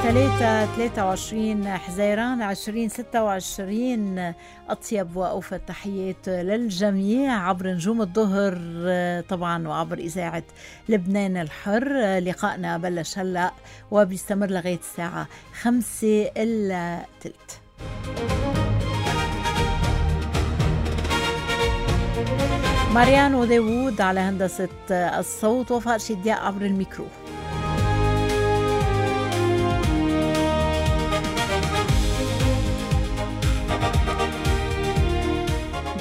23 حزيران 2026. أطيب وأوفى التحيات للجميع عبر نجوم الظهر طبعا وعبر إذاعة لبنان الحر. لقائنا بلش هلأ وبيستمر لغاية الساعة 5:15. ماريانو داوود على هندسة الصوت، وفاء شدياء عبر الميكرو.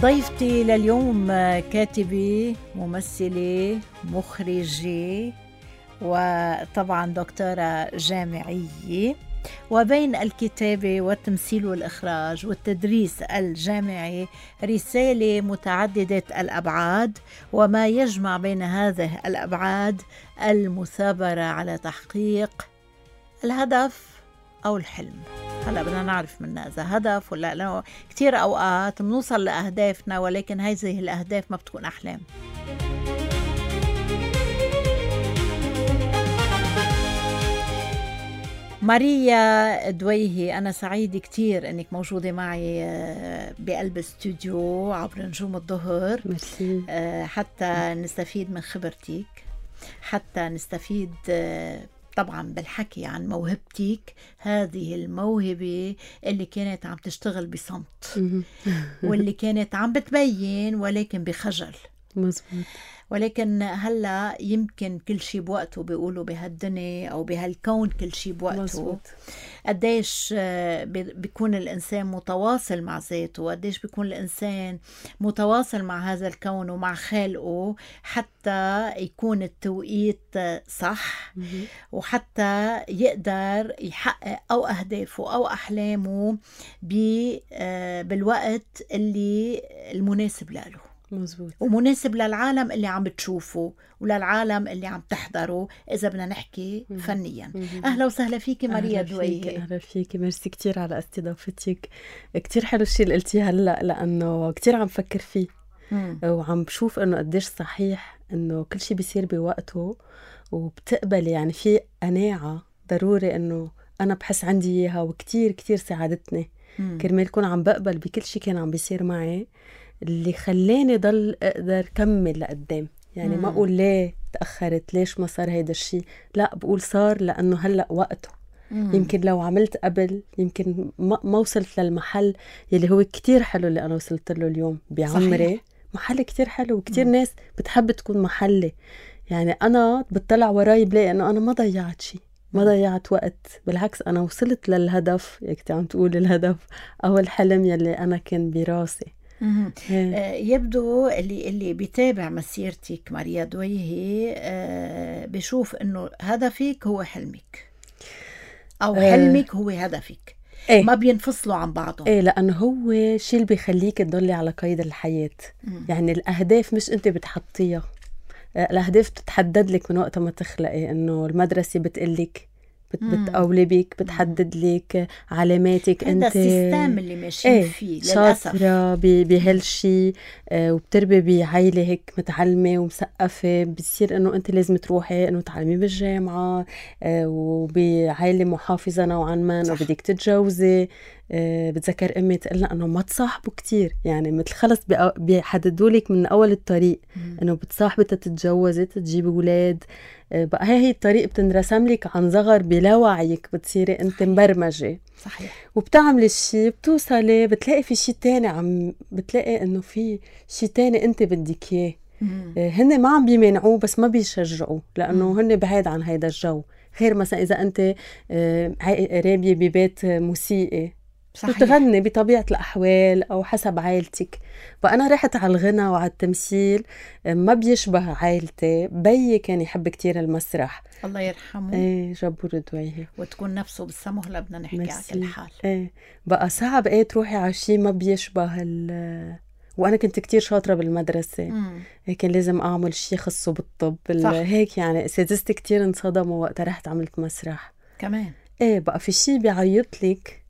ضيفتي لليوم كاتبة، ممثلة، مخرجة، وطبعا دكتورة جامعية، وبين الكتابة والتمثيل والإخراج والتدريس الجامعي رسالة متعددة الأبعاد، وما يجمع بين هذه الأبعاد المثابرة على تحقيق الهدف أو الحلم. هلأ بدنا نعرف منا إذا هدف ولا لا. كتير أوقات بنوصل لأهدافنا ولكن هذه الأهداف ما بتكون أحلام. ماريا دويهي، أنا سعيدة كتير أنك موجودة معي بقلب استوديو عبر نجوم الظهر. ميرسي. حتى نستفيد من خبرتك، حتى نستفيد طبعا بالحكي عن موهبتك، هذه الموهبة اللي كانت عم تشتغل بصمت واللي كانت عم بتبين ولكن بخجل. مزبوط. ولكن هلا يمكن كل شيء بوقته، بيقولوا بهالدنيا او بهالكون كل شيء بوقته. مزبوط. قديش بيكون الانسان متواصل مع ذاته، وقديش بيكون الانسان متواصل مع هذا الكون ومع خالقه حتى يكون التوقيت صح، وحتى يقدر يحقق او اهدافه او احلامه بالوقت اللي المناسب له. مزبوط. ومناسب للعالم اللي عم بتشوفه وللعالم اللي عم تحضره إذا بدنا نحكي فنيا. أهلا وسهلا فيكي ماريا دويهي. أهلا فيكي، ميرسي كتير على استضافتك. كتير حلو الشيء اللي قلتيه هلأ، لأنه كتير عم فكر فيه وعم بشوف أنه قديش صحيح أنه كل شيء بيصير بوقته، وبتقبل يعني في قناعة ضروري أنه أنا بحس عندي إياها، وكتير كتير ساعدتني كرمال كون عم بقبل بكل شيء كان عم بيصير معي، اللي خلاني ضل أقدر كمل لقدام. يعني ما أقول ليه تأخرت، ليش ما صار هيدا الشيء، لا بقول صار لأنه هلأ وقته. يمكن لو عملت قبل يمكن ما وصلت للمحل يلي هو كتير حلو اللي أنا وصلت له اليوم بعمري. صحيح. محل كتير حلو، وكتير ناس بتحب تكون محلي. يعني أنا بتطلع وراي بلاقي أنه أنا ما ضيعت شيء، ما ضيعت وقت، بالعكس أنا وصلت للهدف، يكت عم تقول الهدف أو الحلم يلي أنا كان براسي. يبدو اللي بيتابع مسيرتك ماريا دويهي بيشوف انه هدفك هو حلمك او حلمك هو هدفك. إيه؟ ما بينفصلوا عن بعضهم. ايه، لانه هو شيء اللي بيخليك تضلي على قيد الحياة. يعني الاهداف مش انت بتحطيها، الاهداف بتتحدد لك من وقت ما تخلقي. انه المدرسة بتقلك، بتقولي بيك، بتحدد لك علاماتك. انت السيستم اللي ماشيين فيه للأسف. شاطرة بهالشي، وبتربي بعائلة هيك متعلمة ومسقفة، بتصير انه انت لازم تروحي انه تعلمي بالجامعة، وبعائلة محافظة نوعا ما، وبدك تتجوزي. بتذكر امي تقلنا انه ما تصاحبوا كتير، يعني مثل خلص بيحددوا لك من اول الطريق انه بتصاحبي تتجوزي تجيبي اولاد. بقى هي الطريق بتنرسم لك عن صغر بلا وعيك، بتصيري انت مبرمجة. صحيح. وبتعملي الشيء، بتوصلي بتلاقي في شيء تاني، بتلاقي انه في شيء تاني انت بدك اياه. هن ما عم بيمنعوه بس ما بيشجعوا، لانه هن بعيد عن هيدا الجو. غير مثلا اذا انت رابية ببيت موسيقي، بتغني بطبيعة الأحوال أو حسب عائلتك. فأنا رحت على الغنى وعلى التمثيل، ما بيشبه عائلتي. بيي كان يحب كتير المسرح، الله يرحمه. ايه، جبور دويهي. وتكون نفسه بالسمه. هلا بدنا نحكي على كل حال. ايه بقى صعب ايه تروحي على شيء ما بيشبه وأنا كنت كتير شاطرة بالمدرسة. كان لازم أعمل شيء خاصه بالطب هيك. يعني أساتذتي كتير انصدموا وقت رحت عملت مسرح كمان. ايه بقى في شيء بيعيط لك،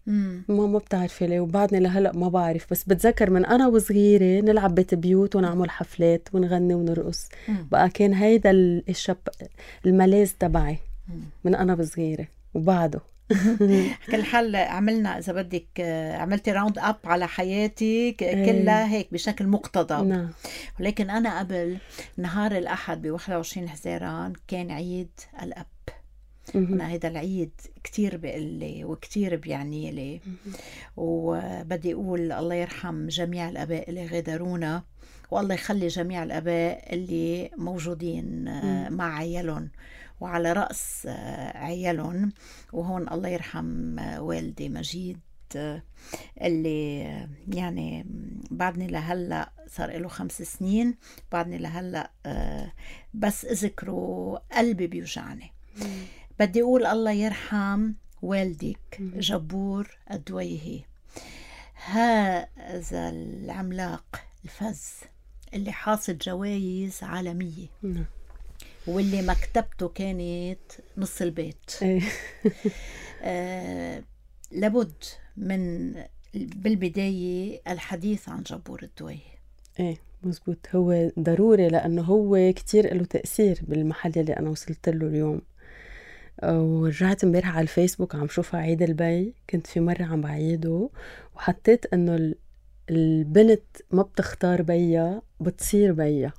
ما بتعرفي ليه. وبعدني لهلأ ما بعرف، بس بتذكر من أنا وصغيرة نلعب بيت بيوت ونعمل حفلات ونغني ونرقص. بقى كان هيدا الملاذ تبعي من أنا وصغيرة وبعده. كل حال عملنا إذا بدك عملتي راوند أب على حياتي كلها هيك بشكل مقتضب. ولكن أنا قبل نهار الأحد ب21 حزيران كان عيد الأب. أنا هيدا العيد كتير بقلي وكتير بيعني لي، وبدي أقول الله يرحم جميع الأباء اللي غادرونا، والله يخلي جميع الأباء اللي موجودين مع عيالهم وعلى رأس عيالهم. وهون الله يرحم والدي مجيد اللي يعني بعدني لهلأ صار له 5 سنين، بعدني لهلأ بس أذكره قلبي بيوجعني. بدي أقول الله يرحم والدك جبور الدويهي، هذا العملاق الفز اللي حاصل جوائز عالمية واللي مكتبته كانت نص البيت. لابد من بالبداية الحديث عن جبور الدويهي. مزبوط، هو ضروري لأنه هو كتير له تأثير بالمحل اللي أنا وصلت له اليوم. ورجعت امبارح على الفيسبوك عم شوفها عيد البي، كنت في مرة عم بعيده وحطيت انه البنت ما بتختار بيا، بتصير بيا.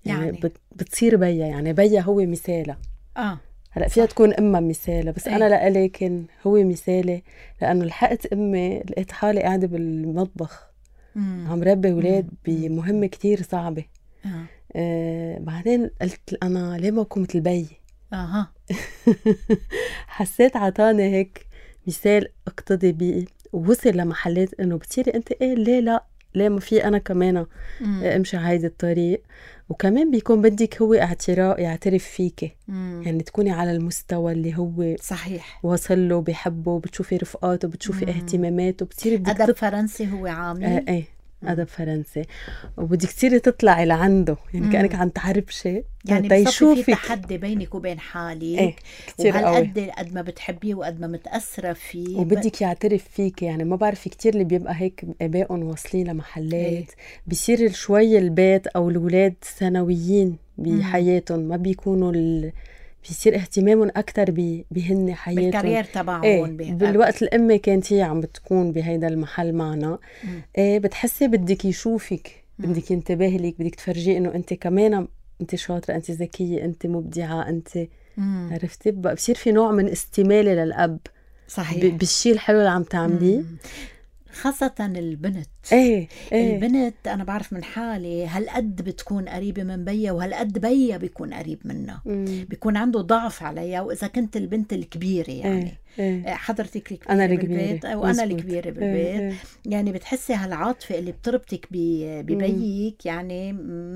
يعني بتصير بيا، يعني بيا هو مثالها. هلأ فيها تكون أمها مثالها، بس أنا لألي كان هو مثالي، لأنه لحقت أمي لقيت حالي قاعدة بالمطبخ عم ربي ولاد بمهمة كتير صعبة. بعدين قلت أنا ليه ما أكون مثل بي؟ حسيت عطاني هيك مثال اقتدي بيه، ووصل لمحلات انه بتصيري انت ليه لا، ليه ما في انا كمان امشي هيدا الطريق. وكمان بيكون بدك هو يعترف فيكي، يعني تكوني على المستوى اللي هو صحيح وصل له، بيحبه، بتشوفي رفقاته، بتشوفي اهتماماته، بتصيري بدك أدب فرنسي هو عامل أدب فرنسي، وبدك تصيري تطلعي لعنده، يعني كأنك عم تعربشي، يعني بصفي في تحدي بينك وبين حالك. وهالقد قد ما بتحبيه وقد ما متأثرة فيه، وبدك يعترف فيك. يعني ما بعرف كتير اللي بيبقى هيك آبائهم واصلين لمحلات بيصير شوي البيت أو الولاد ثانويين بحياتهم، ما بيكونوا بيصير اهتمامهم أكتر بهن حياتهم بالكارير تبعهم. بالوقت الأم كانت هي عم بتكون بهيدا المحل معنا، بتحسي بدك يشوفك، بدك ينتبه لك، بدك تفرجيه إنه أنت كمان أنت شاطرة، أنت ذكية، أنت مبدعة، أنت عرفتي. بصير في نوع من استمالة للأب. صحيح. بالشيء الحلو اللي عم تعمليه، خاصة البنت. البنت أنا بعرف من حالي هالقد بتكون قريبة من بيا، وهالقد بيا بيكون قريب منها، بيكون عنده ضعف عليها. وإذا كنت البنت الكبيرة يعني حضرتك الكبيرة بالبيت وأنا الكبيرة بالبيت، يعني بتحسي هالعاطفة اللي بتربطك ببيك يعني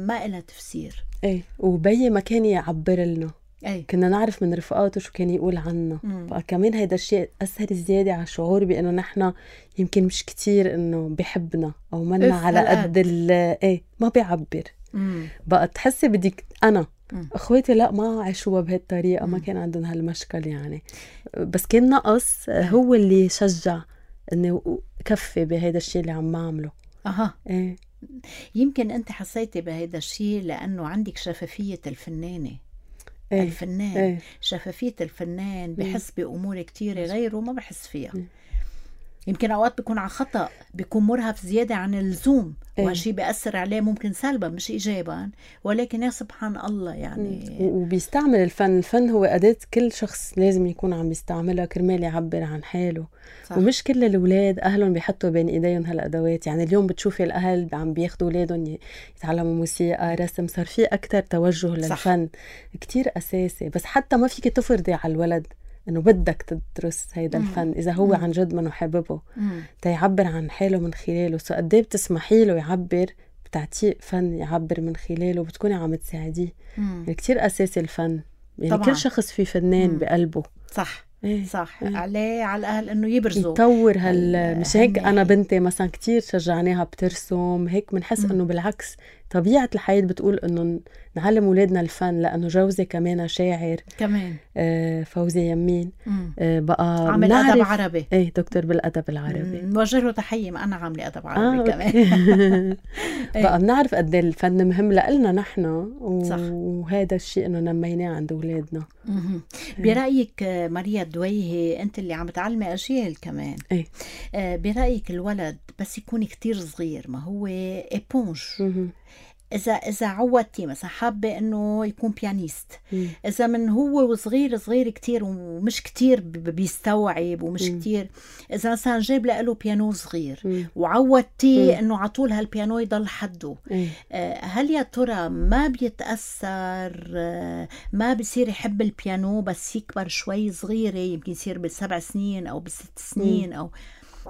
ما إلها تفسير. وبي ما كان يعبر لنا، كنا نعرف من رفقاته شو كان يقول عنا. فكمان هيدا الشيء أثر زيادة على شعور بأنه نحن يمكن مش كتير إنه بيحبنا أو منا على قد ما بيعبر. بقى تحسي بدك أنا أخواتي لا ما عاشوها بهالطريقة، ما كان عندهم هالمشكل يعني، بس كان نقص هو اللي شجع إنه كفي بهيدا الشيء اللي عم أعمله. يمكن أنت حسيتي بهيدا الشيء لأنه عندك شفافية الفنانة. الفنان شفافية الفنان بحس بأمور كتيرة غيره ما بحس فيها. يمكن أوقات بيكون على خطأ، بيكون مرهف زيادة عن اللزوم، وهالشي بيأثر عليه ممكن سلبا مش إيجابا، ولكن يا سبحان الله يعني. وبيستعمل الفن هو أداة كل شخص لازم يكون عم يستعملها كرمال يعبر عن حاله. صح. ومش كل الأولاد أهلهم بيحطوا بين إيديهم هالأدوات. يعني اليوم بتشوفي الأهل عم بياخدوا أولادهم يتعلموا موسيقى، رسم، صار في أكتر توجه للفن. صح. كتير أساسي، بس حتى ما فيك تفرضي على الولد انه بدك تدرس هيدا الفن اذا هو عن جد منه حاببه تيعبر عن حاله من خلاله. سو قد ايه بتسمحي له يعبر، بتعطيه فن يعبر من خلاله، بتكوني عم تساعديه. يعني كتير اساسي الفن، يعني طبعاً. كل شخص في فنان بقلبه. صح. صح. عليه على الأهل إنه يبرزوا يطور مش هيك. أنا بنتي مثلا كتير شجعناها بترسم هيك، منحس إنه بالعكس طبيعة الحياة بتقول إنه نعلم أولادنا الفن، لأنه جوزي كمان شاعر كمان، فوزي يمين بقى عامل أدب عربي، إيه دكتور بالأدب العربي، نوجه له تحية، ما أنا عاملة أدب عربي كمان. بقى بنعرف قد الفن مهم لنا نحن، وهذا الشيء إنه نميناه عند أولادنا. برأيك ماريا دويهي، أنت اللي عم تعلمي أجيال كمان، برأيك الولد بس يكون كتير صغير، ما هو إيبونج، إذا عودتي مثلا حابة إنه يكون بيانيست، إذا من هو صغير كتير ومش كتير بيستوعب ومش كتير، إذا مثلا جاب له بيانو صغير وعودتي إنه عطول هالبيانو يضل حده، هل يا ترى ما بيتأثر، ما بيصير يحب البيانو بس يكبر شوي صغيرة، يمكن يصير ب7 سنين أو ب6 سنين أو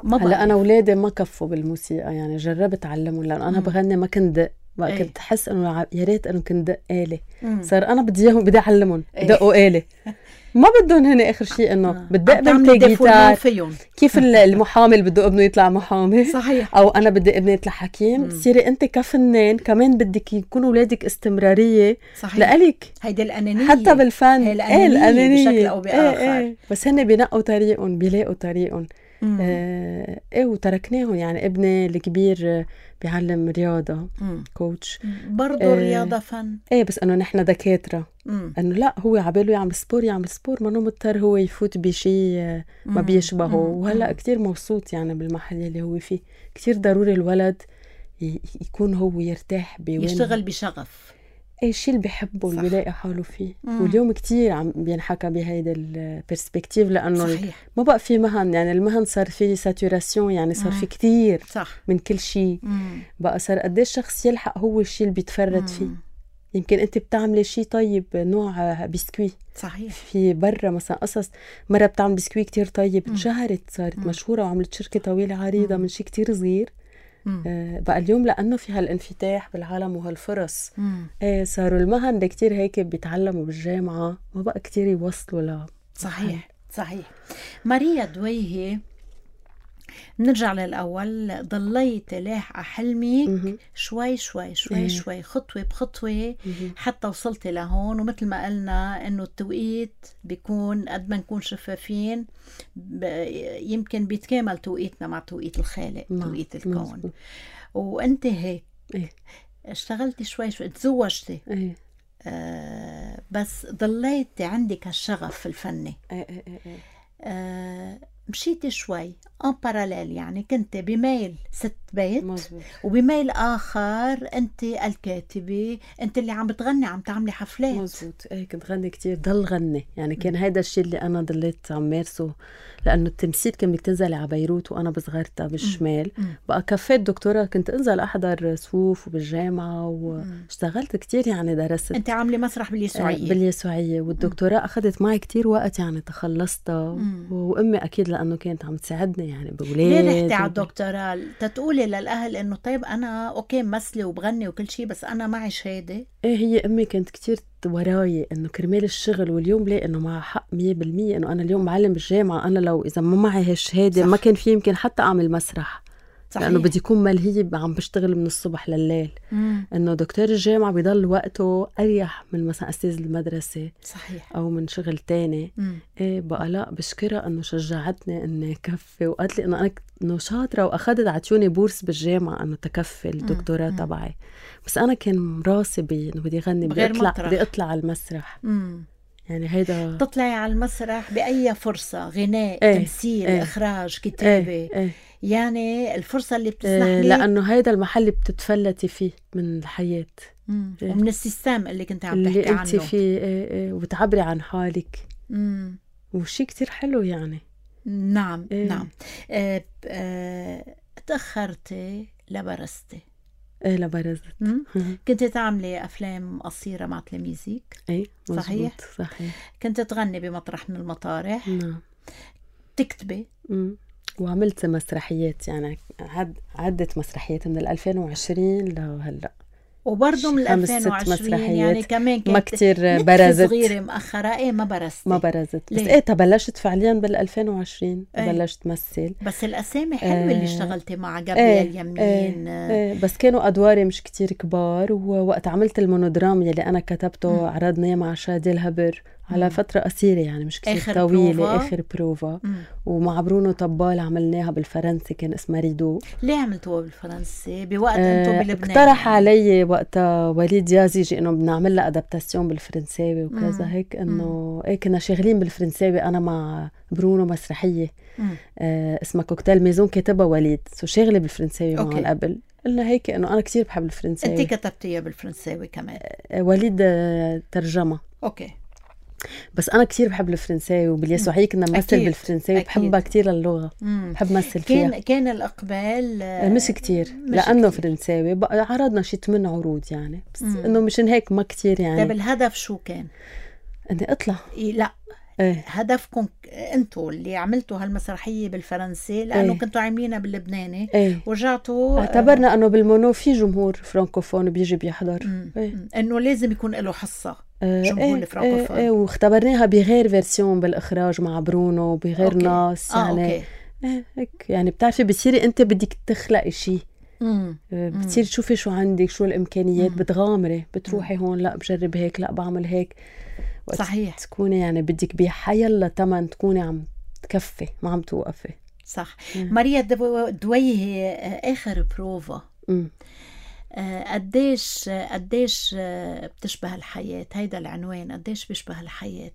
هلا أنا أولادي ما كفوا بالموسيقى، يعني جربت أعلمهم، لأن أنا بغني ما كنت دق، بقى كنت حس إنه يا ريت إنه كنت دق آلة، صار أنا بدي أعلمهم دقوا آلة، ما بدهم هن آخر شيء إنه بدق بنتي جيتار، كيف المحامي اللي بده ابنه يطلع محامي، صحيح، أو أنا بدي ابني يطلع حكيم، تصيري أنت كفنان كمان بدك يكون أولادك استمرارية، صحيح، لألك هيدي الأنانية حتى بالفن، الأنانية بشكل أو بآخر، بس هن بينقوا طريقهم، بيلاقوا طريقهم. وتركناهم، يعني ابني الكبير بيعلم رياضة، كوتش برضو، الرياضة فن، بس انه نحن دكاترة، انه لا هو عباله يعمل سبور، ما مضطر هو يفوت بشي ما بيشبهه، وهلا كتير مبسوط يعني بالمحل اللي هو فيه. كتير ضروري الولد يكون هو يرتاح يشتغل بشغف، اي شيء اللي بيحبه، اللي بيلاقي حاله فيه. واليوم كتير عم بينحكى بهيدا البرسبكتيف، لانه صحيح. ما بقى في مهن، يعني المهن صار في ساتوراسيون، يعني صار في كتير صح. من كل شيء بقى صار قديش شخص يلحق هو الشيء اللي بيتفرد فيه. يمكن انت بتعملي شيء طيب، نوع بسكوي صحيح، في برا مثلا قصص مرة بتعمل بسكوي كتير طيب، انشهرت، صارت مشهورة وعملت شركة طويلة عريضة من شيء كتير صغير. بقى اليوم لأنه في هالانفتاح بالعالم وهالفرص، صاروا المهن اللي كتير هيك بيتعلموا بالجامعة ما بقى كتير يوصلوا صحيح. ماريا دويهي، نرجع للأول، ضليت لاحقة حلمك شوي خطوة بخطوة حتى وصلت لهون. ومثل ما قلنا إنه التوقيت بيكون قد ما نكون شفافين يمكن بيتكامل توقيتنا مع توقيت الخالق، توقيت الكون. وانت هيك اشتغلتي شوي تزوجتي، بس ضليتي عندك هالشغف الفني، مشيتي شوي ان باراليل، يعني كنت بميل ست بيت مزبوط. وبميل آخر أنت الكاتبة، أنت اللي عم بتغني، عم تعملي حفلات. مزبوط. كنت غني كتير، ضل غني، يعني كان هيدا الشيء اللي أنا ضليت عم مارسه، لأنه التمثيل كان بدك تنزلي على بيروت وأنا بصغرتها بالشمال. بقى كفيت دكتوراه، كنت أنزل أحضر صفوف وبالجامعة واشتغلت كتير، يعني درست. أنت عاملة مسرح باليسوعية؟ باليسوعية. والدكتوراه أخذت معي كتير وقت، يعني تخلصتها. وأمي أكيد لأنه كانت عم تساعدني يعني بولاد. ليه رحتي على الدكتوراه؟ تتقولي للأهل إنه طيب أنا أوكي مثلي وبغني وكل شيء، بس أنا معي شهادة؟ هي أمي كانت كتير وراي إنه كرمال الشغل. واليوم ليه إنه معها حق 100%، إنه أنا اليوم معلم بالجامعة، أنا لو إذا ما معي هالشهادة ما كان في يمكن حتى أعمل مسرح. صحيح. لأنه بدي يكون ملهي عم بشتغل من الصبح لليل. إنه دكتور الجامعة بيضل وقته أريح من مثلا أستاذ المدرسة. صحيح. أو من شغل تاني. بقى لا، بشكرها إنه شجعتني إني كفي، وقالت لي إنه أنا شاطرة، وأخذت عطيوني بورس بالجامعة إنه تكفي الدكتوراه تبعي. بس أنا كان راسي إنه بدي غني، بدي أطلع على المسرح. يعني هيدا تطلعي على المسرح بأي فرصة، غناء، تمثيل، إخراج، كتابة. يعني الفرصة اللي بتسمح لي، لأنه هيدا المحل اللي بتتفلتي فيه من الحياة. ومن السيستم اللي كنت عم تحكي عنه، اللي انت فيه. وتعبري عن حالك. وشي كتير حلو يعني. نعم. نعم. تأخرتي لبرزتي. لبرزت. كنت تعملي أفلام قصيرة مع تلاميذك؟ صحيح. كنت تغني بمطرح من المطارح. نعم. تكتبي. وعملت مسرحيات، يعني عدة مسرحيات من 2020 لهلا. وبرضه من 5-6 2020 يعني مسرحيات كمان ما كانت كتير برزت صغيرة مأخرة. ما برزت بس بلشت فعليا بال2020 بلشت مثل. بس الأسامي حلوة اللي اشتغلتي مع جابرييل يمين. بس كانوا أدواري مش كتير كبار. ووقت عملت المونودرام يلي أنا كتبته عرضناه مع شادي الهبر على فترة قصيرة يعني مش كتير طويلة. آخر بروفا ومع برونو طبال عملناها بالفرنسي كان اسمها ريدو. ليه عملتوها بالفرنسي بوقت انتو بلبنان؟ اقترح علي وقتها وليد يازيجي انه بدنا نعمل لها ادابتاسيون بالفرنساوي وكذا هيك انه كنا شغالين بالفرنساوي انا مع برونو مسرحية اسمها كوكتيل ميزون كاتبها وليد شغلة بالفرنساوي معه قبل. قلنا هيك انه انا كتير بحب الفرنساوي. انت كتبتيها بالفرنساوي كمان؟ وليد ترجمة. اوكي. بس أنا كتير بحب الفرنساوي وباليسوعية كنا نمثل بالفرنساوي. بحبها كتير اللغة. بحب مثل فيها. كان الإقبال مش كتير لأنه فرنساوي. عرضنا شي 8 عروض يعني بس إنه مشان هيك ما كتير يعني. طيب الهدف شو كان؟ إني أطلع. لا هدفكم انتوا اللي عملتوا هالمسرحية بالفرنسي لأنه كنتوا عاملينها باللبناني ورجعتوا اعتبرنا أنه بالمونو في جمهور فرانكوفون بيجي بيحضر إنه لازم يكون له حصة جمهور الفرانكوفون. واختبرناها بغير فيرسيون بالإخراج مع برونو بغير ناس يعني هيك يعني بتعرفي بتصيري أنت بدك تخلقي شيء. بتصير تشوفي شو عندك شو الإمكانيات بتغامري بتروحي هون لا بجرب هيك لا بعمل هيك. صحيح. تكوني يعني بدك بحيلا تمن تكوني عم تكفي ما عم توقفي. صح. ماريا دويهي آخر بروفا قديش بتشبه الحياة؟ هيدا العنوان قديش بيشبه الحياة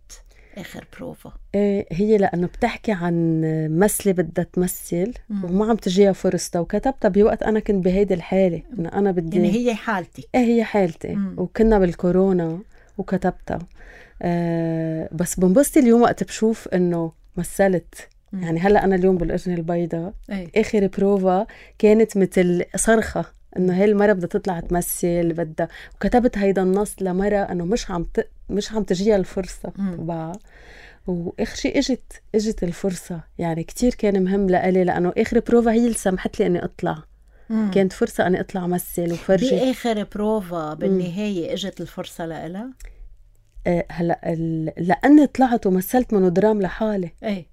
آخر بروفا؟ هي لأنه بتحكي عن مسلة بدها تمثل وما عم تجيها فرصتها وكتبتها بوقت أنا كنت بهيدي الحالة إنه أنا بدي يعني هي حالتي. هي حالتي وكنا بالكورونا وكتبتها. بس بنبسط اليوم وقت بشوف إنه مثلت. يعني هلأ أنا اليوم بالأجنة البيضاء آخر بروفا كانت مثل صرخة إنه هاي المرة بدها تطلع تمثل بدها. وكتبت هيدا النص لمرة إنه مش عم تجيها الفرصة تبعها. وآخر شيء إجت الفرصة يعني كتير كان مهم لألي لأنه آخر بروفا هي اللي سمحت لي إني أطلع. كانت فرصة أني أطلع مثل وفرجي. بآخر بروفا بالنهاية إجت الفرصة لألا؟ هلا لأني طلعت ومثلت مونودرام لحالي.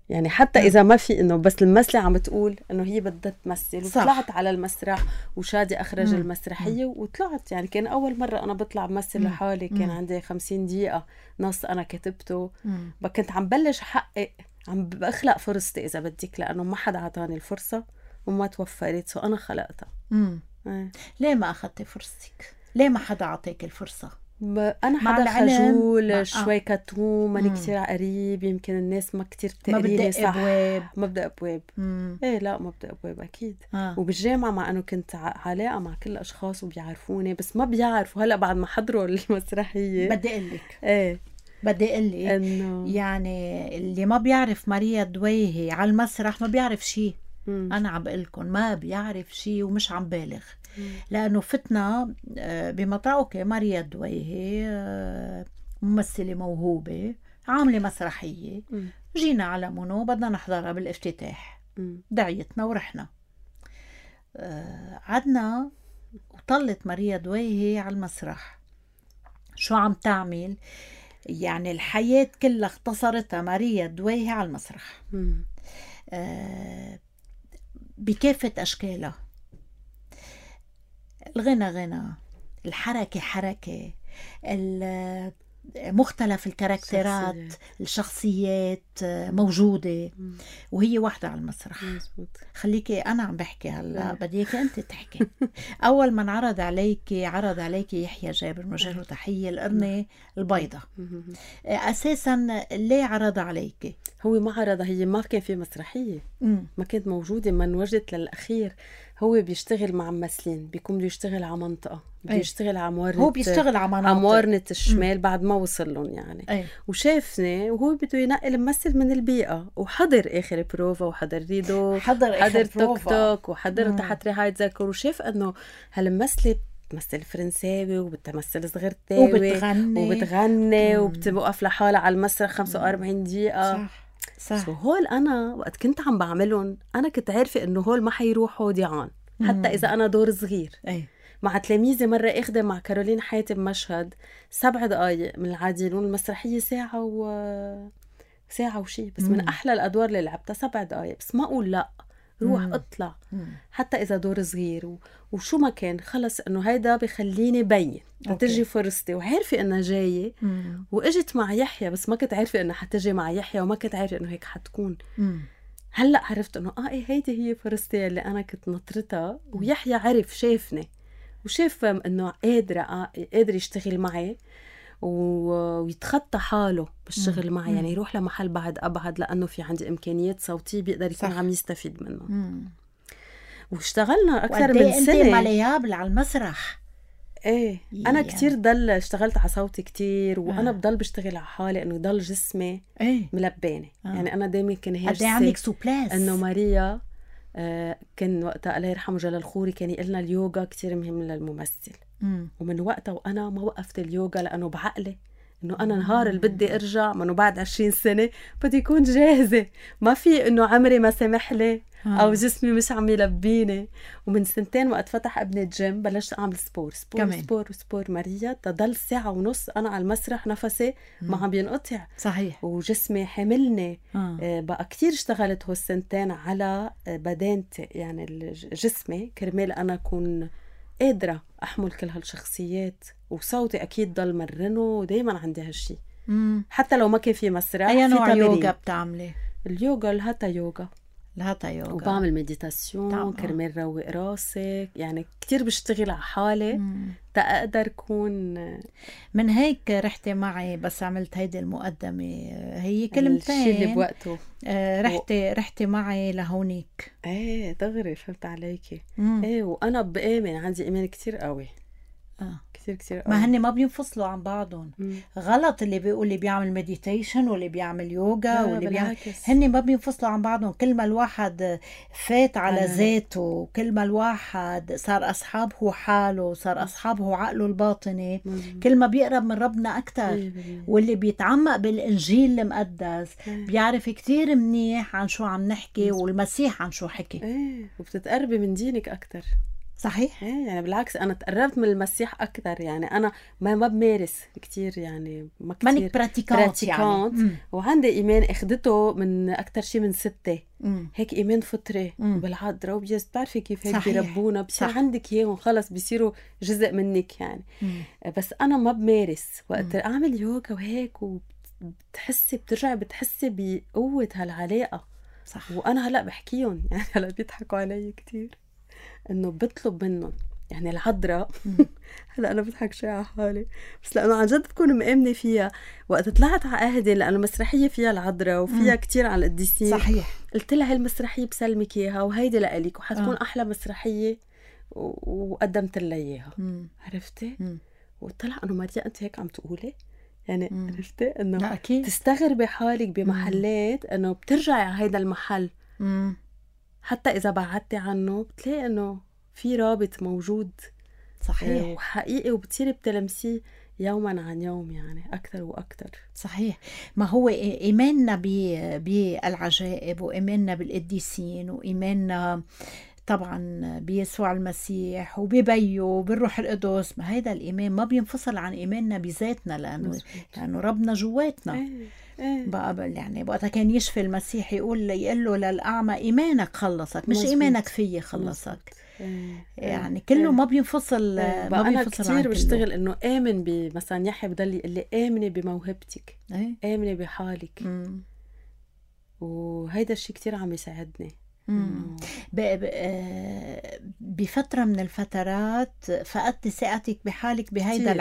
يعني حتى إذا ما في إنه بس الممثلة عم تقول إنه هي بدها تمثل وطلعت على المسرح وشادي أخرج المسرحية وطلعت. يعني كان أول مرة أنا بطلع بمثل لحالي. كان عندي 50 دقيقة نص أنا كتبته. كنت عم بلش حقق عم بخلق فرصتي إذا بدك لأنه ما حدا عطاني الفرصة وما توفرت أنا خلقتها. ليه ما أخذتي فرصتك؟ ليه ما حدا عطيك الفرصة؟ أنا حدا خجول شوي كتوم ماني كتير قريب يمكن الناس ما كتير بتقريني صح. ما بدأ أبواب. لا ما بدأ أبواب أكيد. وبالجامعة مع أنه كنت علاقة مع كل الأشخاص وبيعرفوني بس ما بيعرفوا. هلأ بعد ما حضروا المسرحية بدي أقلك إنه يعني اللي ما بيعرف ماريا دويهي على المسرح ما بيعرف شيء. أنا عم بقلكن ما بيعرف شيء ومش عم بالغ لأنه فتنا بمطرقة ماريا دويهي ممثلة موهوبة عاملة مسرحية. جينا على مونو بدنا نحضرها بالافتتاح. دعيتنا ورحنا عدنا وطلت ماريا دويهي على المسرح. شو عم تعمل؟ يعني الحياة كلها اختصرتها ماريا دويهي على المسرح بكافة أشكالها. الغنى غنى، الحركة حركة، مختلف الكاركترات الشخصيات موجودة وهي واحدة على المسرح. خليكي أنا عم بحكي هلا بديك أنت تحكي. أول ما عرض عليكي يحيى جابر مجره تحية القرنة البيضة. أساسا ليه عرض عليكي؟ هو ما عرضها هي ما كان في مسرحية ما كانت موجودة من وجدت للأخير. هو بيشتغل مع ممثلين بيكون بده يشتغل على منطقة بده يشتغل على موارنة. هو بيشتغل على موارنة الشمال بعد ما وصل لهم يعني. وشافني وهو بده ينقل ممثل من البيئة وحضر آخر بروفا وحضر ريدو حضر توك توك وحضر تحت رعاية ذكر وشاف انه هالممثلة بتمثل فرنساوي وبتمثل صغيرتاوي وبتغني وبتوقف لحالها على المسرح 45 دقيقة. صح. هول أنا وقت كنت عم بعملهم أنا كنت عارفة إنه هول ما حيروحوا ضيعان حتى إذا أنا دور صغير. مع تلاميذي مرة اخده مع كارولين حاتم مشهد 7 دقايق من العادلون، المسرحية ساعة وشي، بس من أحلى الأدوار اللي لعبتها 7 دقايق، بس ما أقول لأ، روح اطلع حتى إذا دور صغير وشو ما كان، خلص إنه هيدا بخليني بين تجي فرصتي، وعارفة إنها جاية. وإجت مع يحيى، بس ما كنت عارفة إنها حتجي مع يحيى، وما كنت عارفة إنه هيك حتكون. هلأ عرفت إنه إيه هيدي هي فرصتي اللي أنا كنت نطرتها. ويحيى عرف، شافني وشاف إنه قادر يشتغل معي ويتخطى حاله بالشغل معي، يعني يروح لمحل بعد أبعد لأنه في عندي إمكانيات صوتية بيقدر يكون عم يستفيد منه. واشتغلنا أكثر من سنة. أنت مليابل على المسرح. ايه أنا كتير اشتغلت على صوتي كتير، وأنا بضل بشتغل على حالي إنه يضل جسمي ملبانة. يعني أنا دايما كان هيرسي عندك سوبلاس. إنه ماريا كان وقتها الله يرحمه جلال خوري كان يقلنا اليوغا كتير مهم للممثل. ومن وقتها وأنا ما وقفت اليوغا، لأنه بعقلي إنه أنا نهار اللي بدي أرجع منه بعد 20 سنة بدي يكون جاهزة، ما في إنه عمري ما سمح لي أو جسمي مش عم يلبيني. ومن 2 سنين وقت فتح ابني الجيم بلشت أعمل سبور ماريا، تضل 1.5 ساعة أنا على المسرح نفسي ما عم ينقطع. صحيح. وجسمي حملني. بقى كتير اشتغلت هو 2 سنين على بدانتي، يعني جسمي كرمال أنا أكون قادرة أحمل كل هالشخصيات. وصوتي أكيد ضل مرنه، ودايما عندي هالشي حتى لو ما كان في مسرح. أي نوع يوغا بتعملي؟ اليوغا الهاتا يوغا. وبعمل مديتاسيون كرمال روق راسك، يعني كتير بشتغل على حالي تقدر كون. من هيك رحتي معي بس عملت هيدي المقدمة، هي كلمتين الشي اللي بوقته. رحتي معي لهونيك. ايه دغري فهمت عليكي. ايه وأنا بآمن، عندي إيمان كتير قوي. كتير قوي. ما هن ما بينفصلوا عن بعضهم. غلط اللي بيقول اللي بيعمل مديتيشن واللي بيعمل يوغا واللي بيعمل، هن ما بينفصلوا عن بعضهم. كل ما الواحد فات على ذاته، كل ما الواحد صار أصحابه حاله، صار أصحابه عقله الباطني، كل ما بيقرب من ربنا أكتر. واللي بيتعمق بالإنجيل المقدس بيعرف كتير منيح عن شو عم نحكي والمسيح عن شو حكي. وبتتقربي من دينك أكتر. صحيح. يعني بالعكس أنا تقربت من المسيح أكتر. يعني أنا ما بمارس كتير، يعني ما كتير مانك براتيكانت يعني. وعندي إيمان أخدته من أكتر شي من 6. هيك إيمان فطري بالعذراء وبتعرفي كيف هيك بيربونا، بصير عندك إياهم خلص بيصيروا جزء منك يعني. بس أنا ما بمارس. وقت أعمل يوغا وهيك وبتحسي بتحسي بقوة هالعلاقة. صح. وأنا هلأ بحكيهم، يعني هلأ بيضحكوا علي كتير إنه بطلب منهم، يعني العذراء هلا أنا بضحك شوي على حالي، بس لأنه عن جد بكون مآمنة فيها. وقت طلعت على أهدي، لأنه مسرحية فيها العذراء وفيها كتير على القديسين. صحيح. قلت لها هالمسرحية بسلمك إياها وهيدي لأليك، وحتكون أحلى مسرحية، وقدمت لها إياها. عرفتي؟ وطلع إنه ماريا أنت هيك عم تقولي، يعني عرفتي إنه تستغربي حالك بمحلات إنه بترجعي على هيدا المحل. حتى إذا بعدتي عنه بتلاقي إنه في رابط موجود. صحيح. وحقيقي، وبتصيري بتلمسيه يوما عن يوم، يعني أكتر وأكتر. صحيح. ما هو إيماننا بالعجائب، وإيماننا بالقديسين، وإيماننا طبعا بيسوع المسيح وببيه وبالروح القدس، ما هيدا الإيمان ما بينفصل عن إيماننا بذاتنا، لأنه ربنا جواتنا. بقى يعني وقتها كان يشفي المسيح يقول له للأعمى إيمانك خلصك، مش إيمانك فيي خلصك. يعني كله ما بينفصل. ما أنا كتير بشتغل إنه آمن مثلا يحيى بضل يقول لي آمني بموهبتك، آمني بحالك. وهيدا الشيء كتير عم يساعدني. بفترة من الفترات فقدت ثقتك بحالك بهيدا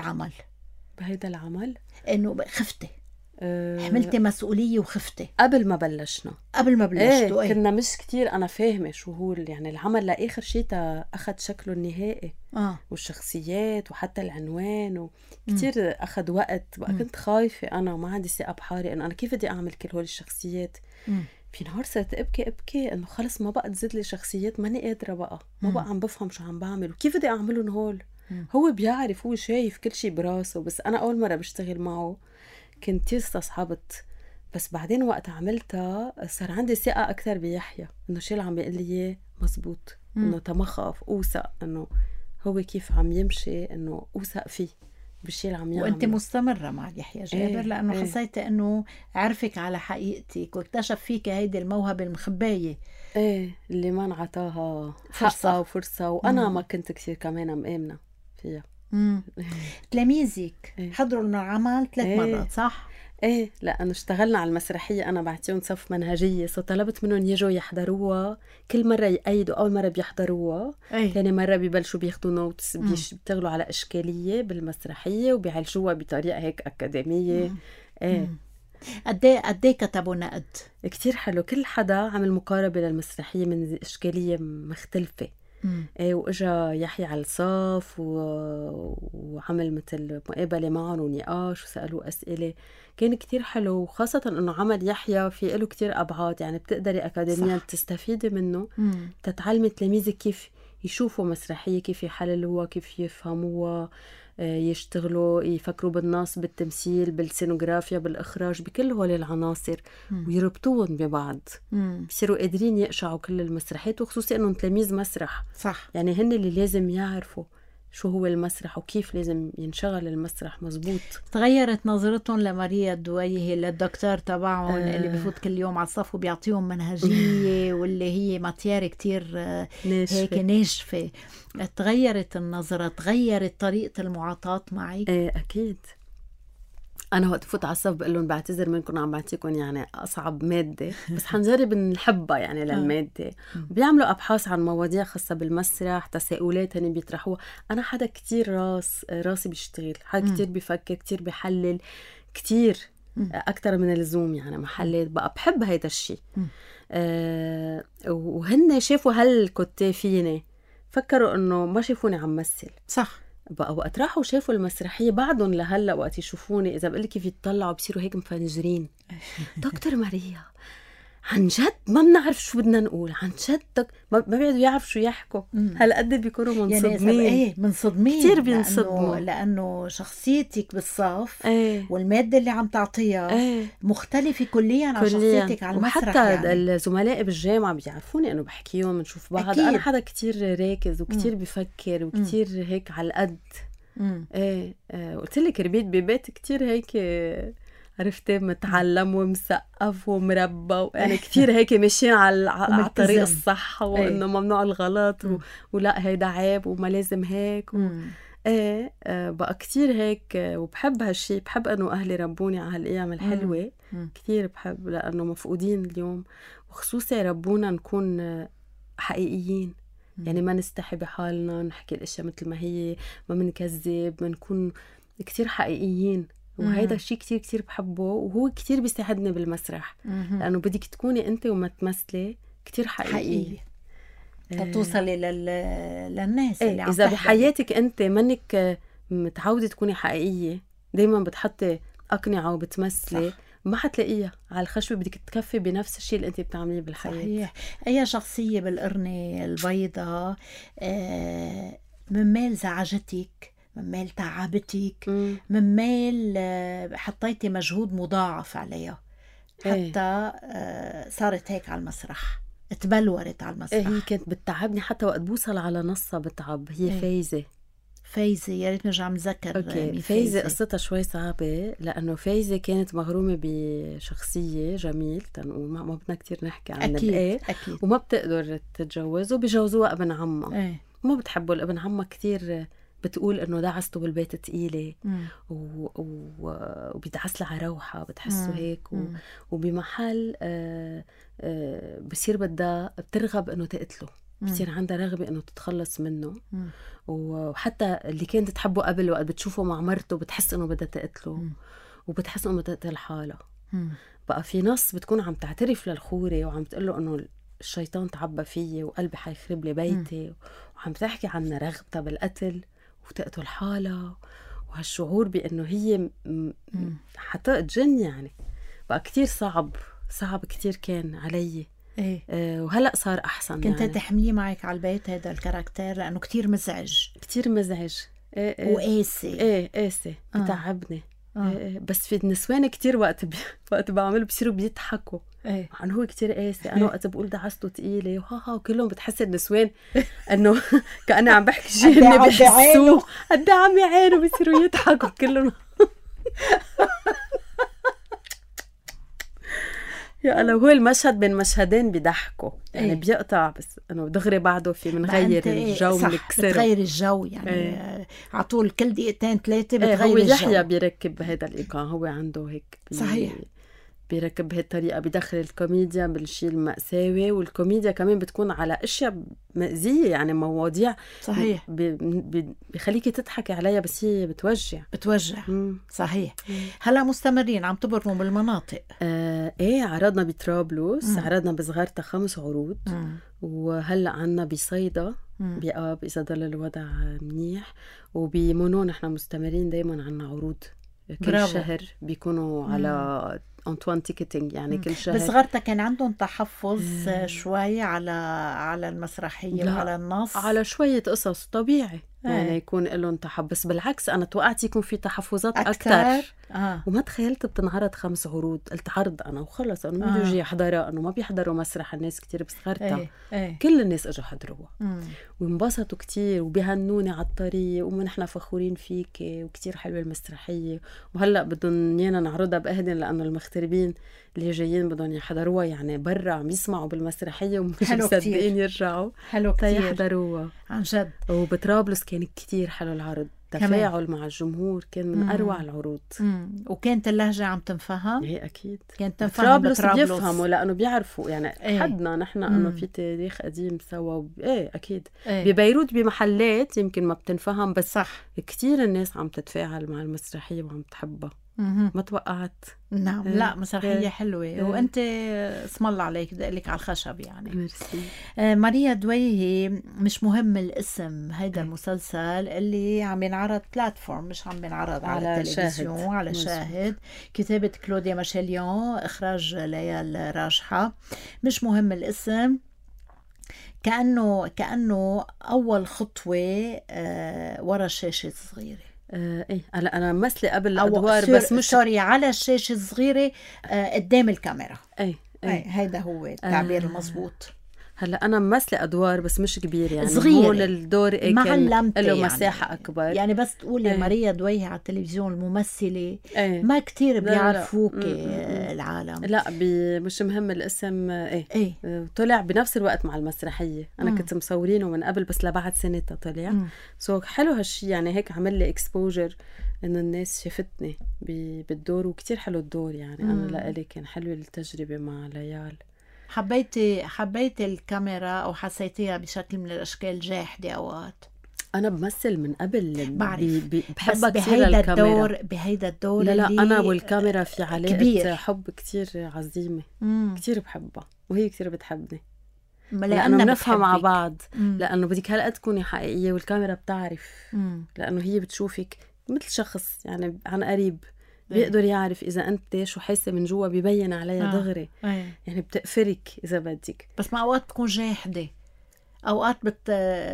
العمل، إنه خفتي، حملتي مسؤولية وخفتي قبل ما بلشنا. كنا مش كتير أنا فاهمة شو هو يعني العمل لآخر شيء أخذ شكله النهائي. والشخصيات وحتى العنوان وكتير أخذ وقت. بقى كنت خايفة أنا وما عندي ثقة بحالي إنه أنا كيف بدي أعمل كل هول الشخصيات. في نهار صرت أبكي إنه خلص ما بقى تزيد لي شخصيات، ماني قادرة بقى، ما بقى عم بفهم شو عم بعمل وكيف بدي أعملهم هول. هو بيعرف، هو شايف كل شيء براسه، بس أنا أول مرة بشتغل معه كنت استصحبت. بس بعدين وقت عملتها صار عندي ثقة أكثر بيحيى، إنه شو اللي عم بيقول لي مزبوط، إنه تمخف أوثق إنه هو كيف عم يمشي إنه أوثق فيه بالشي اللي عم يعمله. وأنت مستمرة مع يحيى جابر لأنه حسيت إنه عرفك على حقيقتك واكتشف فيك هيدي الموهبة المخباية اللي ما انعطاها حقها وفرصة، وأنا ما كنت كثير كمان مآمنة فيها. تلاميذك حضروا العمل 3 مرات صح؟ لأنه اشتغلنا على المسرحية، أنا بعتيهم صف منهجية، طلبت منهم يجوا يحضروها، كل مرة يأيدوا. أول مرة بيحضروها، ثاني مرة بيبلشوا بياخدوا نوتس، بيشتغلوا على إشكالية بالمسرحية وبيعالجوها بطريقة هيك أكاديمية. قديه كتبوا نقد كتير حلو، كل حدا عمل مقاربة للمسرحية من إشكالية مختلفة. وإجا يحيى على الصف وعمل مثل مقابلة معهم ونقاش وسألوا أسئلة، كان كتير حلو. وخاصة إنه عمل يحيى في له كتير أبعاد، يعني بتقدري أكاديميا تستفيدي منه تتعلمي تلاميذك كيف يشوفوا مسرحية، كيف يحللوها، كيف يفهموها، يشتغلوا يفكروا بالنص، بالتمثيل، بالسينوغرافيا، بالإخراج، بكل هول العناصر ويربطوهم ببعض. بصيروا قادرين يقشعوا كل المسرحيات، وخصوصي إنهم تلاميذ مسرح صح، يعني هن اللي لازم يعرفوا شو هو المسرح وكيف لازم ينشغل المسرح مزبوط. تغيرت نظرتهم لماريا الدويهي للدكتور تبعهم اللي بفوت كل يوم على الصف وبيعطيهم منهجية واللي هي ماتيار كتير هيك ناشفة. تغيرت النظرة، تغيرت طريقة المعاطاة معك؟ أكيد. أنا وقت فوت على الصف بقول لهم بعتذر منكم عم بعطيكم يعني أصعب مادة، بس حنجرب نحبها يعني للمادة. بيعملوا أبحاث عن مواضيع خاصة بالمسرح، تساؤلات هني بيطرحوها. أنا حدا كتير راسي بيشتغل، حدا كتير بيفكر، كتير بيحلل، كتير أكتر من اللزوم يعني محلات. بقى بحب هيدا الشي. وهن شافوا هالكتاب فيني، فكروا إنه ما شافوني عم مثل. صح. بقى وقت راحوا شافوا المسرحية بعدهم لهلا وقت يشوفوني إذا بقول كيف يتطلعوا بصيروا هيك مفنجرين. دكتور ماريا عن جد ما بنعرف شو بدنا نقول، عن جد ما بيقعدوا يعرفوا شو يحكوا. هالقد بيكونوا منصدمين. يعني منصدمين كتير بينصدموا لأنه شخصيتك بالصف والمادة اللي عم تعطيها مختلفة كليا عن شخصيتك على المسرح. وحتى يعني الزملاء بالجامعة بيعرفوني أنه بحكيهم بنشوف بعض. أكيد. أنا حدا كتير راكز وكتير بيفكر وكتير هيك على القد. قلت لك ربيت ببيت كتير هيك عرفتي متعلم ومسقف ومربى، يعني كتير هيك ماشيين على الطريق الصح، وإنه ممنوع الغلط ولا هيدا عيب وما لازم هيك بقى كتير هيك. وبحب هالشي، بحب أنه أهلي ربوني على هالأيام الحلوة. كتير بحب لأنه مفقودين اليوم، وخصوصي ربونا نكون حقيقيين. يعني ما نستحي بحالنا، نحكي الأشياء مثل ما هي، ما منكذب، منكون كتير حقيقيين. وهيدا الشيء كتير كتير بحبه، وهو كتير بيساعدني بالمسرح لأنه بدك تكوني أنت وما تمثلي كتير حقيقية توصلي للناس اللي عم إذا بحياتك أنت منك متعودة تكوني حقيقية، دايما بتحطي أقنعة وبتمثلي، ما حتلاقيها على الخشبة. بدك تكفي بنفس الشيء اللي أنت بتعمليه بالحياة. صحيح. أي شخصية بالقرنة البيضاء من مال زعجتك، من مال تعبتك، من مال حطيتي مجهود مضاعف عليها حتى صارت هيك على المسرح، تبلورت على المسرح؟ هي كانت بتتعبني حتى وقت بوصل على نصها بتعب. هي فايزة يا ريت نرجع نذكر. فايزة قصتها شوي صعبة، لأنه فايزة كانت مغرومة بشخصية جميل تنقول، ما بدنا كتير نحكي عن أكيد. وما بتقدر تتجوزه، بيجوزوها ابن عمها. ما بتحبه الابن عمها كتير، بتقول انه دعسته بالبيت تقيلة وبيدعس لها على روحة، بتحسه هيك وبمحل بصير بترغب انه تقتله، بصير عندها رغبة انه تتخلص منه. وحتى اللي كانت تحبه قبل وقت بتشوفه مع مرته بتحس انه بدها تقتله، وبتحس انه بدها تقتل حالها. بقى في نص بتكون عم تعترف للخوري وعم تقله انه الشيطان تعبى فيي وقلبي حيخرب لي بيتي، وعم تحكي عن رغبتها بالقتل وتقتل حالها، وهالشعور بأنه هي حتقتجن. يعني بقى كتير صعب كتير كان علي. وهلأ صار أحسن. كنت يعني تحمليه معك على البيت هذا الكاركتير لأنه كتير مزعج وقاسي. قاسي بتعبني. بس في النسوان كتير وقت بعمل بصيروا بيضحكوا عن هو كتير قاسي. انا وقت بقول دعسته تقيله وكلهم بتحس النسوان انه كأني عم بحكي شيء اني بحسوه قد عم يعانوا بيصيروا يضحكوا كلهم. يا الله، هو المشهد بين مشهدين بيضحكوا يعني بيقطع، بس انه دغري بعده في منغير الجو بنكسره، بتغير الجو يعني على طول كل دقيقتين 3 بتغير هو الجو. يحيى بيركب بهذا الإيقاع، هو عنده هيك صحيح بيركب بهالطريقة، بدخل الكوميديا بالشيء المأساوي، والكوميديا كمان بتكون على أشياء مأزية يعني مواضيع صحيح بيخليكي تضحكي عليها بس هي بتوجع. صحيح. هلا مستمرين عم تبرموا بالمناطق؟ عرضنا بطرابلس، عرضنا بصغارتا 5 عروض، وهلأ عنا بصيدا بآب إذا ضل الوضع منيح، وبمونون نحن مستمرين دايما عنا عروض كل شهر بيكونوا على أنطوان تيكتينج يعني كل شهر. بس صغارتا كان عندهم تحفظ شوي على المسرحية وعلى النص، على شوية قصص طبيعي يعني يكون لهم تحفظ. بالعكس أنا توقعت يكون في تحفظات أكتر. وما تخيلت بتنعرض 5 عروض. قلت عرض أنا وخلص، أنه ما بيجي يحضرها، أنه ما بيحضروا مسرح الناس كتير بصغارتا. كل الناس اجوا حضروها وانبسطوا كتير وبيهنوني على الطريق ونحن فخورين فيك وكتير حلوة المسرحية. وهلأ بدهم يانا نعرضها بأهدن لأنه المغتربين اللي جايين بدهم يحضروها يعني برا عم يسمعوا بالمسرحية ومش مصدقين يرجعوا يحضروها عن جد. وبطرابلس كان كتير حلو العرض، تفاعل مع الجمهور كان من أروع العروض. وكانت اللهجة عم تنفهم؟ ايه أكيد كانت تنفهم. بطرابلس بيفهموا لأنه بيعرفوا يعني حدنا نحن أنه في تاريخ قديم سوا. أكيد. ببيروت بمحلات يمكن ما بتنفهم، بس صح كتير الناس عم تتفاعل مع المسرحية وعم تحبها. ما توقعت. نعم. لا مسرحية حلوة. وانت اسم الله عليك دقلك على الخشب يعني. ميرسي. ماريا دويهي، مش مهم الاسم، هيدا المسلسل اللي عم ينعرض بلاتفورم، مش عم ينعرض على التلفزيون على شاهد. كتابة كلوديا ماشيليون، اخراج ليال راجحة. مش مهم الاسم كأنه اول خطوة ورا الشاشة الصغيرة. أنا مثلي قبل الأدوار بس مش سوري على الشاشة الصغيرة قدام الكاميرا. هيدا هو التعبير المضبوط. هلا أنا مثلي أدوار بس مش كبير يعني صغيرة. هون الدور كان له مساحة يعني أكبر يعني بس تقولي ماريا دويهي على التلفزيون الممثلة ما كتير بيعرفوك العالم. لا مش مهم الاسم. طلع بنفس الوقت مع المسرحية. أنا كنت مصورينه من قبل بس لبعد سنتها طلع. حلو هالشي يعني هيك عمل لي اكسبوجر إنه الناس شافتني بالدور وكتير حلو الدور يعني. أنا لألي كان حلو التجربة مع ليال. حبيتي الكاميرا أو حسيتيها بشكل من الأشكال جاحدة أوقات؟ أنا بمثل من قبل بحبها كثير الكاميرا. بهيدا الدور لا أنا والكاميرا في علاقة كبير. حب كتير عظيمة. كتير بحبها وهي كتير بتحبني لأنه بنفهم مع بعض. لأنه بدك هلأ تكوني حقيقية والكاميرا بتعرف. لأنه هي بتشوفك مثل شخص يعني عن قريب، بيقدر يعرف إذا أنت شو حاسة من جوا، بيبين عليها دغري. يعني بتقفرك إذا بدك. بس مع أوقات تكون جاحدة، أوقات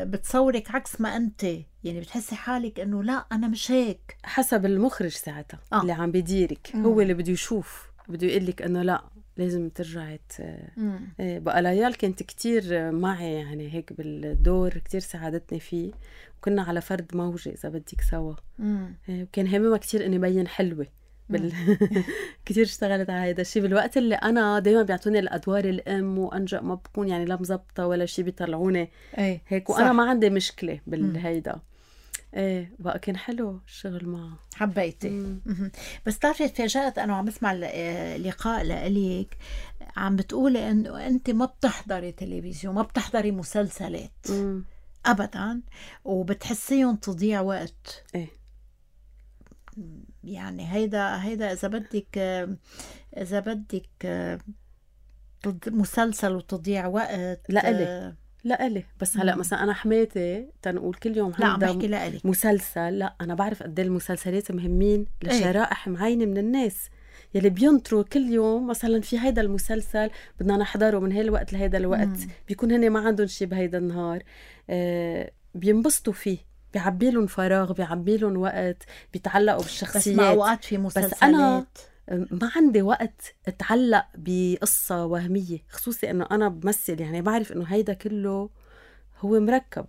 بتصورك عكس ما أنت يعني بتحسي حالك إنه لا أنا مش هيك. حسب المخرج ساعتها اللي عم بيديرك. هو اللي بده يشوف، بده يقلك إنه لا لازم ترجعي. بقى ليال كانت كتير معي يعني هيك بالدور، كتير ساعدتني فيه. وكنا على فرد موجة إذا بدك سوا. وكان همها كتير إني بين حلوة كتير اشتغلت على هيدا الشيء بالوقت اللي أنا دايما بيعطوني الأدوار الأم وأنجأ ما بكون يعني لا مزبطة ولا شيء بيطلعوني هيك. وأنا ما عندي مشكلة بالهيدا. بقى كان حلو الشغل معه. حبيتي. بس تعرفي تفاجأت أنا وعم بسمع اللقاء لأليك عم بتقولي إنه أنت ما بتحضري تلفزيون، ما بتحضري مسلسلات أبدا، وبتحسيهم تضيع وقت. يعني هيدا إذا بدك مسلسل وتضيع وقت. لا إلي بس هلأ مثلا أنا حماتي تنقول كل يوم عندها مسلسل. لا أنا بعرف قد المسلسلات مهمين لشرائح معينة من الناس يلي بينطروا كل يوم. مثلا في هيدا المسلسل بدنا نحضره من هالوقت لهيدا الوقت، بيكون هني ما عندهم شي بهيدا النهار، بينبسطوا فيه. بيعبيلن فراغ، بيعبيلن وقت، بيتعلقوا بالشخصيات. بس مع أوقات في مسلسلات بس أنا ما عندي وقت اتعلق بقصة وهمية، خصوصي انه انا بمثل، يعني بعرف انه هيدا كله هو مركب،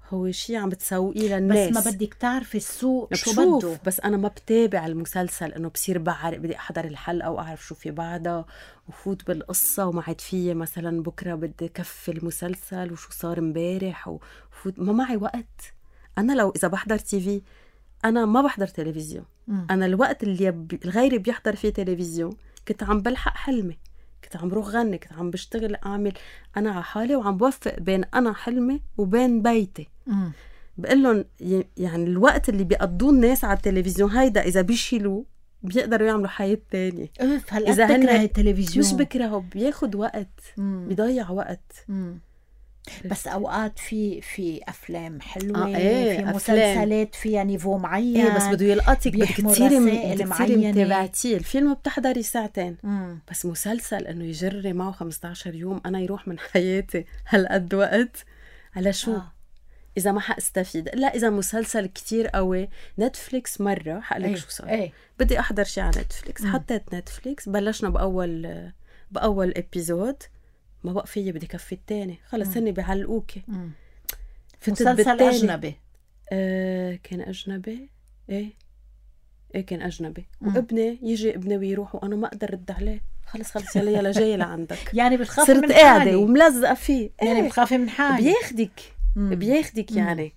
هو شيء عم بتسوقيه للناس. بس ما بدك تعرفي السوق شو بده. بس انا ما بتابع المسلسل انه بصير بعرف، بدي احضر الحلقة واعرف شو في بعدها وفوت بالقصة وما عاد فيي مثلا بكرة بدي كفي المسلسل وشو صار امبارح وفوت. ما معي وقت. انا لو اذا بحضر تيفي، انا ما بحضر تلفزيون. انا الوقت اللي غيري بيحضر فيه تلفزيون كنت عم بلحق حلمي، كنت عم بروح غني، كنت عم بشتغل اعمل انا على حالي، وعم بوفق بين انا حلمي وبين بيتي. بقول لهم يعني الوقت اللي بيقضوه الناس على التلفزيون هيدا اذا بيشيلوه بيقدروا يعملوا حياة تانية. اذا بكره التلفزيون مش بكرهه، بياخد وقت، بيضيع وقت. بس اوقات في افلام حلوه، في مسلسلات فيها نيفو معين، بس بده يلقطك، بدك تصيري متابعتيه. الفيلم بتحضري ساعتين، بس مسلسل انه يجري معه 15 يوم انا يروح من حياتي هالقد وقت على شو؟ اذا ما حاستفيد. لا اذا مسلسل كتير قوي، نتفليكس مره حقلك شو صار. بدي احضر شيء على نتفليكس، حطيت نتفليكس، بلشنا باول ابيزود، ما بقى فيي، بدي كفي التاني، خلص هني بيعلقوكي. مسلسل اجنبي كان اجنبي، ايه كان اجنبي. وابني يجي ابني ويروح وانا ما اقدر رد عليه، خلص يلا جاي لعندك. يعني بتخافي من صرت قاعده وملزقه فيه. يعني بتخافي من حالي. بياخدك يعني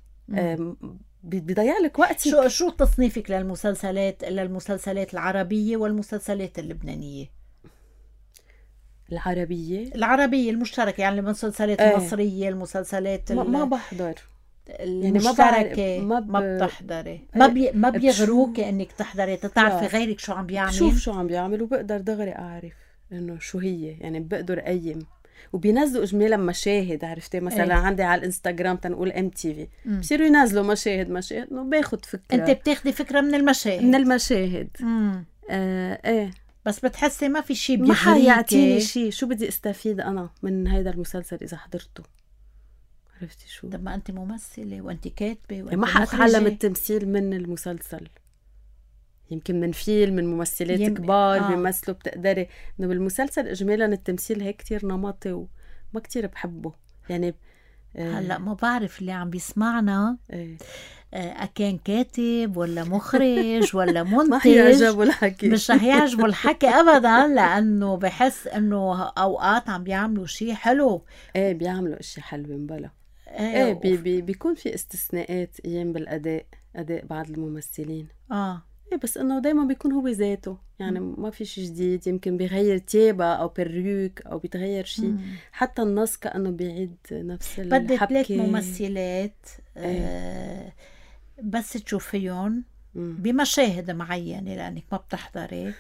بيضيع لك وقتك. شو تصنيفك للمسلسلات العربيه والمسلسلات اللبنانيه؟ العربية المشتركة، يعني المسلسلات المصرية، المسلسلات ما بحضر المشتركة. ما بتحضري، ما بيغروك انك تحضري تعرفي غيرك شو عم بيعمل. شوف شو عم بيعمل وبقدر دغري اعرف انه شو هي، يعني بقدر اقيم. وبينزلوا اجمالا مشاهد، عرفتي مثلا عندي على الانستغرام تنقول MTV بصيروا ينزلوا مشاهد انه باخد فكرة. انت بتاخدي فكرة من المشاهد. بس بتحسي ما في شيء ما حيعطيني شيء. شو بدي استفيد انا من هيدا المسلسل اذا حضرته؟ عرفتي شو؟ طب ما انت ممثلة وانت كاتبة وانت ما حاتعلم التمثيل من المسلسل، يمكن من فيلم، من ممثلات كبار بيمثلوا بتقدري. انه بالمسلسل اجمالا التمثيل هيك كتير نمطي وما كتير بحبه يعني. هلا ما بعرف اللي عم بيسمعنا أكان كاتب ولا مخرج ولا منتج ما حيعجبوا الحكي، مش رح يعجبوا الحكي أبدا، لأنه بحس أنه أوقات عم بيعملوا شيء حلو. بيعملوا اشياء حلوة مبلا. بيكون في استثناءات أيام بالأداء، أداء بعض الممثلين. بس انه دايما بيكون هو ذاته، يعني ما في شيء جديد. يمكن بيغير تيابة او بريوك او بيتغير شيء، حتى النص كأنه بيعيد نفس الحبكة. بدي 3 ممثلات بس تشوفيهم بمشاهد معينة لأنك ما بتحضري،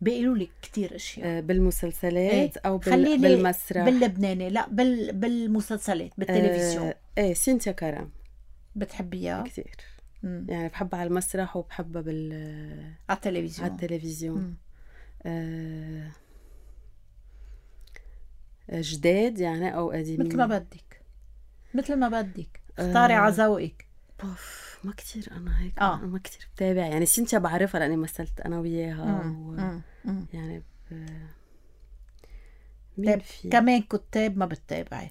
بيقولوا لك كتير اشياء بالمسلسلات او بالمسرح. باللبناني لا بالمسلسلات بالتلفزيون. سينتيا كرم بتحبيها كتير. يعني بحبها على المسرح وبحبها على التلفزيون. جداد يعني او قديمين، مثل ما بدك اختاري على ذوقك. ما كتير انا هيك ما كتير بتابع. يعني سينتيا بعرفها لاني مثلت انا وياها يعني طيب كمان كتاب ما بتتابعي؟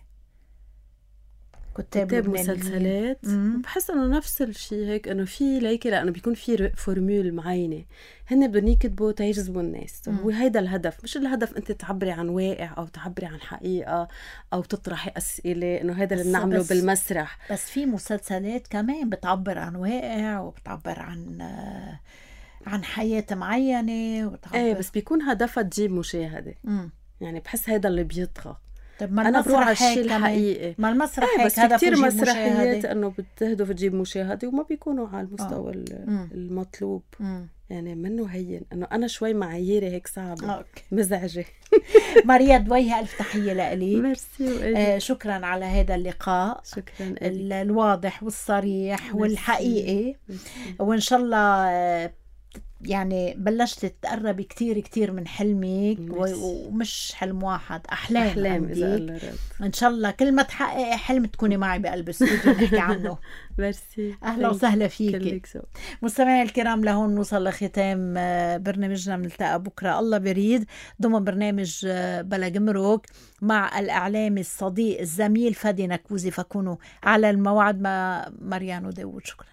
كتاب مسلسلات بحس انه نفس الشيء هيك، انه في ليكي لانه بيكون في فورمول معينه هن بدهم يكتبوا تيجذبوا الناس. هو هيدا الهدف، مش الهدف انت تعبري عن واقع او تعبري عن حقيقه او تطرحي اسئله، انه هيدا اللي بنعمله بالمسرح. بس في مسلسلات كمان بتعبر عن واقع وبتعبر عن حياه معينه بس بيكون هدفها تجيب مشاهده. يعني بحس هيدا اللي بيطغى. طب ما أنا بروح على الشيء الحقيقي. ما المسرح هيك بس كتير مسرحيات انه بتهدف تجيب مشاهده وما بيكونوا على المستوى المطلوب. يعني منه هين انه انا شوي معاييري هيك صعبه مزعجه. ماريا دويها الف تحيه لإلي. ميرسي. شكرا على هذا اللقاء. شكرا الواضح والصريح والحقيقي. وان شاء الله يعني بلشت تقربي كتير كتير من حلمك ومش حلم واحد، أحلام إذا الله رد. إن شاء الله كل ما تحققي حلم تكوني معي بقلب الاستوديو نحكي عنه. ميرسي، أهلا وسهلا فيك. مستمعي الكرام، لهون نوصل لختام برنامجنا. بنلتقى بكرة الله بريد ضمن برنامج بلا جمرك مع الإعلامي الصديق الزميل فادي نكوزي، فكونوا على الموعد مع مريان وداود. شكرا.